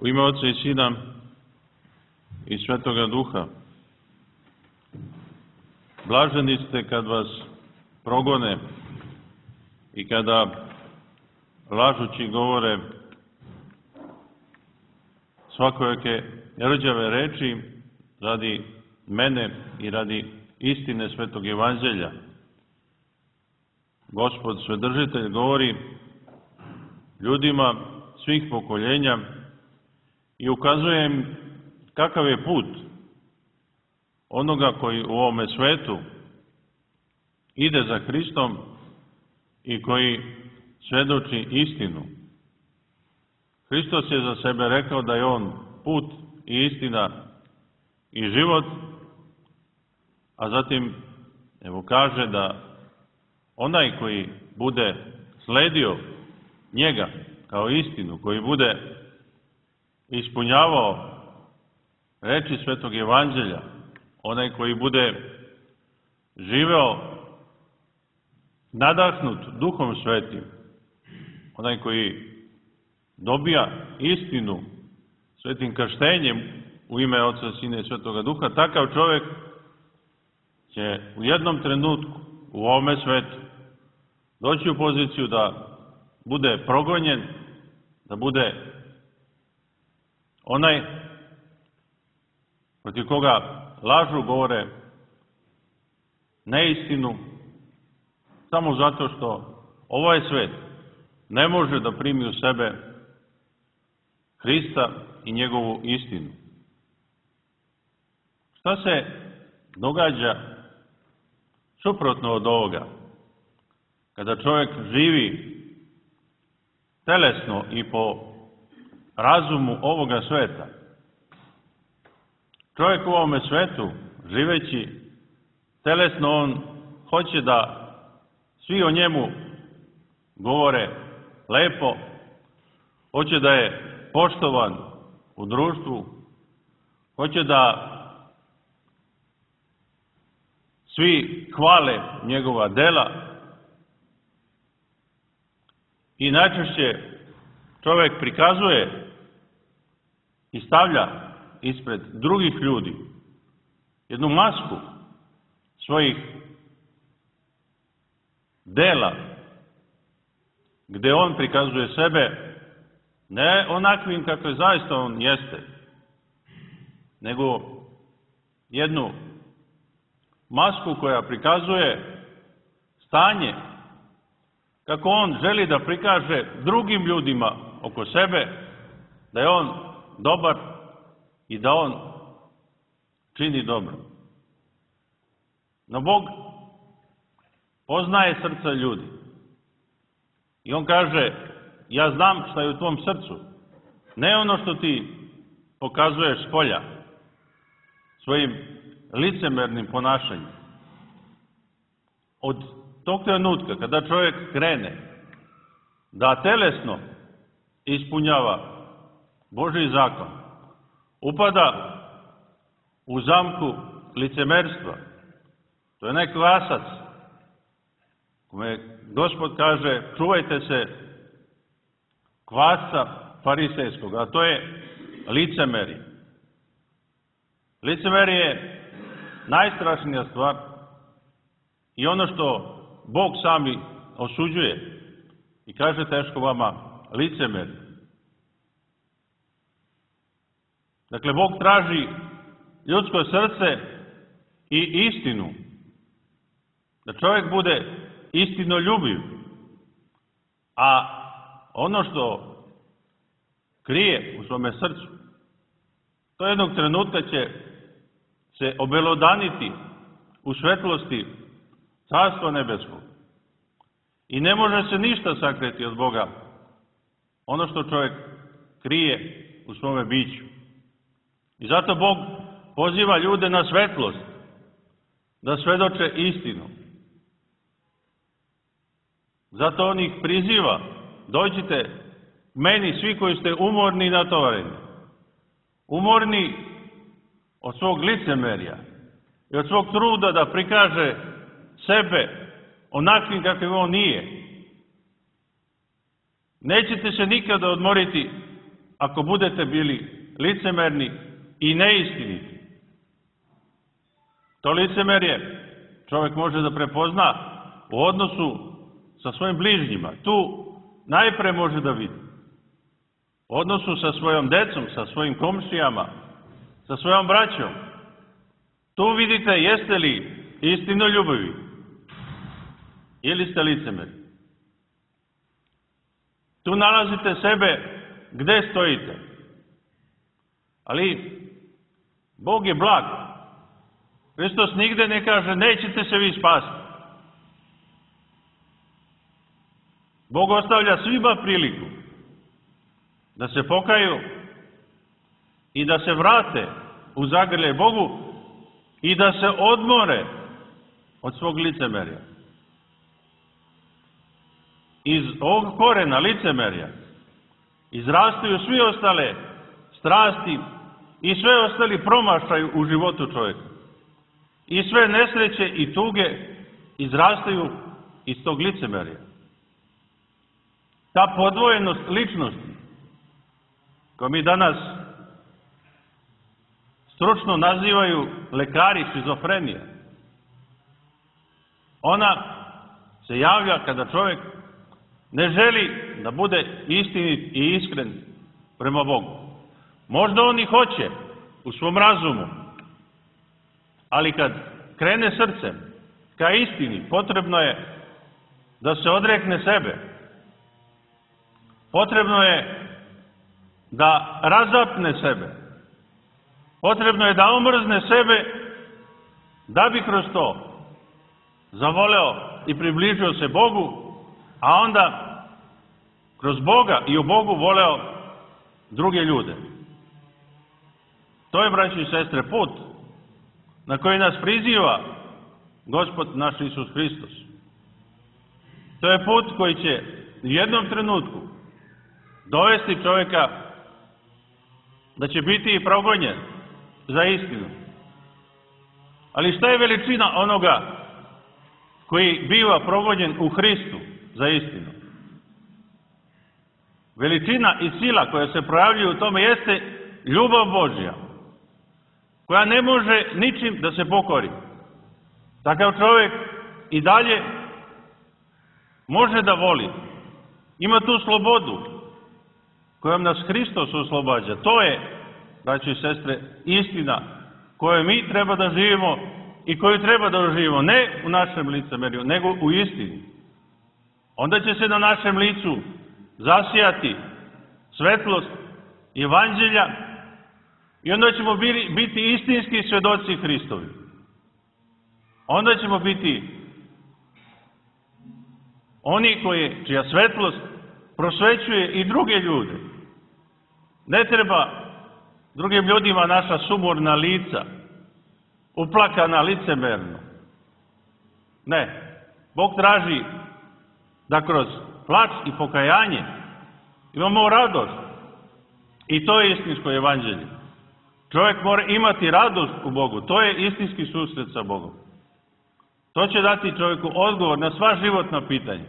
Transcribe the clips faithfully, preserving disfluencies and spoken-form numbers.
U ime Oca i Sina i Svetoga Duha. Blaženi ste kad vas progone i kada lažući govore svakojake rđave reči radi mene i radi istine Svetog Evanđelja. Gospod Svedržitelj govori ljudima svih pokoljenja i ukazuje im kakav je put onoga koji u ovome svetu ide za Hristom i koji svedoči istinu. Hristos je za sebe rekao da je on put i istina i život, a zatim evo kaže da onaj koji bude sledio njega kao istinu, koji bude ispunjavao reči Svetog Evanđelja, onaj koji bude živeo nadahnut Duhom Svetim, onaj koji dobija istinu svetim krštenjem u ime Oca, Sina i Svetoga Duha, takav čovjek će u jednom trenutku u ovome svetu doći u poziciju da bude progonjen, da bude onaj protiv koga lažu govore neistinu, samo zato što ovaj svet ne može da primi u sebe Hrista i njegovu istinu. Šta se događa suprotno od ovoga? Kada čovjek živi telesno i po razumu ovoga sveta, čovjek u ovome svetu, živeći telesno, on hoće da svi o njemu govore lepo, hoće da je poštovan u društvu, hoće da svi hvale njegova dela i najčešće čovjek prikazuje i stavlja ispred drugih ljudi jednu masku svojih dela, gde on prikazuje sebe ne onakvim kakve zaista on jeste, nego jednu masku koja prikazuje stanje kako on želi da prikaže drugim ljudima oko sebe da je on dobar i da on čini dobro. No Bog poznaje srca ljudi i on kaže: ja znam šta je u tvom srcu, ne ono što ti pokazuješ spolja svojim licemernim ponašanjem. Od tog trenutka kada čovjek krene da telesno ispunjava Božji zakon, upada u zamku licemerstva. To je onaj kvasac kome Gospod kaže: čuvajte se kvasca farisejskog, a to je licemerje. Licemerje je najstrašnija stvar i ono što Bog sami osuđuje i kaže: teško vama licemerje. Dakle, Bog traži ljudsko srce i istinu, da čovjek bude istinoljubiv, a ono što krije u svome srcu, to jednog trenutka će se obelodaniti u svetlosti Carstva nebeskog. I ne može se ništa sakriti od Boga, ono što čovjek krije u svome biću. I zato Bog poziva ljude na svetlost, da svedoče istinu. Zato on ih priziva: dođite meni svi koji ste umorni i natovareni, umorni od svog licemerja i od svog truda da prikaže sebe onakvim kakvim on nije. Nećete se nikada odmoriti ako budete bili licemerni i neistiniti. To licemerje čovjek može da prepozna u odnosu sa svojim bližnjima. Tu najpre može da vidi. U odnosu sa svojom decom, sa svojim komšijama, sa svojom braćom. Tu vidite jeste li istinoljubivi ili ste licemeri. Tu nalazite sebe gde stojite. Ali Bog je blag. Hristos nigde ne kaže nećete se vi spasti. Bog ostavlja svima priliku da se pokaju i da se vrate u zagrljaj Bogu i da se odmore od svog licemerja. Iz ovog korena licemerja izrastaju svi ostale strasti i sve ostali promašaj u životu čovjeka. I sve nesreće i tuge izrastaju iz tog licemerja. Ta podvojenost ličnosti, koju mi danas stručno nazivaju lekari šizofrenija, ona se javlja kada čovjek ne želi da bude istinit i iskren prema Bogu. Možda on i hoće u svom razumu, ali kad krene srcem ka istini, potrebno je da se odrekne sebe. Potrebno je da razapne sebe. Potrebno je da omrzne sebe da bi kroz to zavoleo i približio se Bogu, a onda kroz Boga i u Bogu voleo druge ljude. To je, braći i sestre, put na koji nas priziva Gospod naš Isus Hristos. To je put koji će u jednom trenutku dovesti čovjeka da će biti i progonjen za istinu. Ali šta je veličina onoga koji biva progonjen u Hristu za istinu? Veličina i sila koja se projavljuje u tome jeste ljubav Božja, koja ne može ničim da se pokori. Takav čovjek i dalje može da voli. Ima tu slobodu kojom nas Hristos oslobađa. To je, braći i sestre, istina koju mi treba da živimo i koju treba da živimo ne u našem licemerju, nego u istini. Onda će se na našem licu zasijati svetlost Evanđelja i onda ćemo biti istinski svedoci Hristovi. Onda ćemo biti oni koji, čija svetlost prosvećuje i druge ljude. Ne treba drugim ljudima naša sumorna lica, uplakana licemerno. Ne. Bog traži da kroz plač i pokajanje imamo radost. I to je istinsko evanđelje. Čovjek mora imati radost u Bogu. To je istinski susret sa Bogom. To će dati čovjeku odgovor na sva životna pitanja.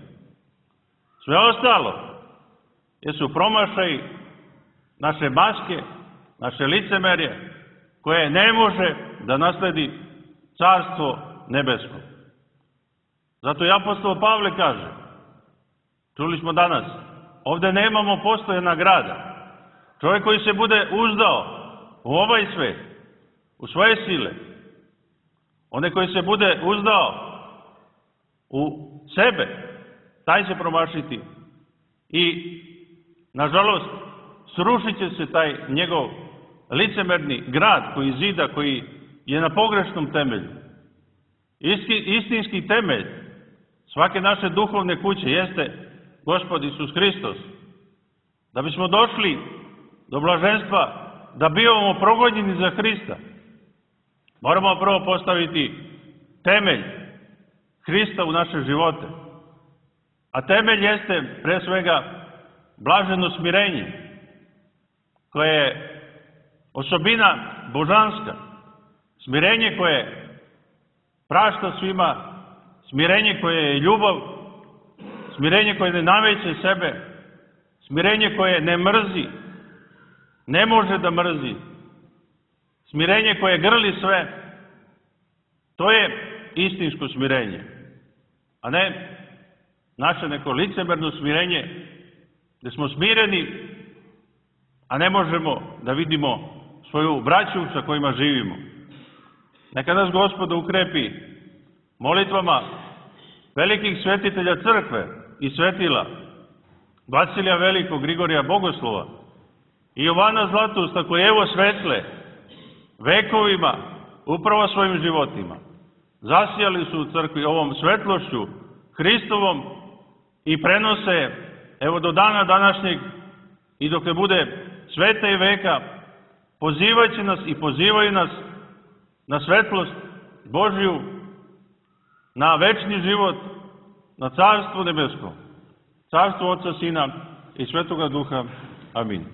Sve ostalo jesu promašaji naše maske, naše licemerje, koje ne može da nasledi carstvo nebesko. Zato i apostol Pavle kaže, čuli smo danas, ovdje nemamo postojana grada. Čovjek koji se bude uzdao u ovaj svet, u svoje sile, onaj koji se bude uzdao u sebe, taj će promašiti i, nažalost, srušit će se taj njegov licemerni grad koji zida, koji je na pogrešnom temelju. Isti, istinski temelj svake naše duhovne kuće jeste Gospod Isus Hristos. Da bismo došli do blaženstva, da bivamo progonjeni za Hrista, moramo prvo postaviti temelj Hrista u naše živote. A temelj jeste pre svega blaženo smirenje, koje je osobina božanska. Smirenje koje prašta svima, smirenje koje je ljubav, smirenje koje ne nameće sebe, smirenje koje ne mrzi, ne može da mrzi. Smirenje koje grli sve, to je istinsko smirenje, a ne naše neko licemerno smirenje, gde smo smireni, a ne možemo da vidimo svoju braću sa kojima živimo. Neka nas Gospod ukrepi molitvama velikih svetitelja crkve i svetila, Vasilija Velikog, Grigorija Bogoslova i Jovana Zlatusta, koji evo svetle vekovima upravo svojim životima. Zasijali su u crkvi ovom svetlošću Hristovom i prenose evo do dana današnjeg i dok ne bude sveta i veka, pozivajući nas i pozivaju nas na svetlost Božju, na večni život, na Carstvo nebesko, Carstvo Oca, Sina i Svetoga Duha. Amin.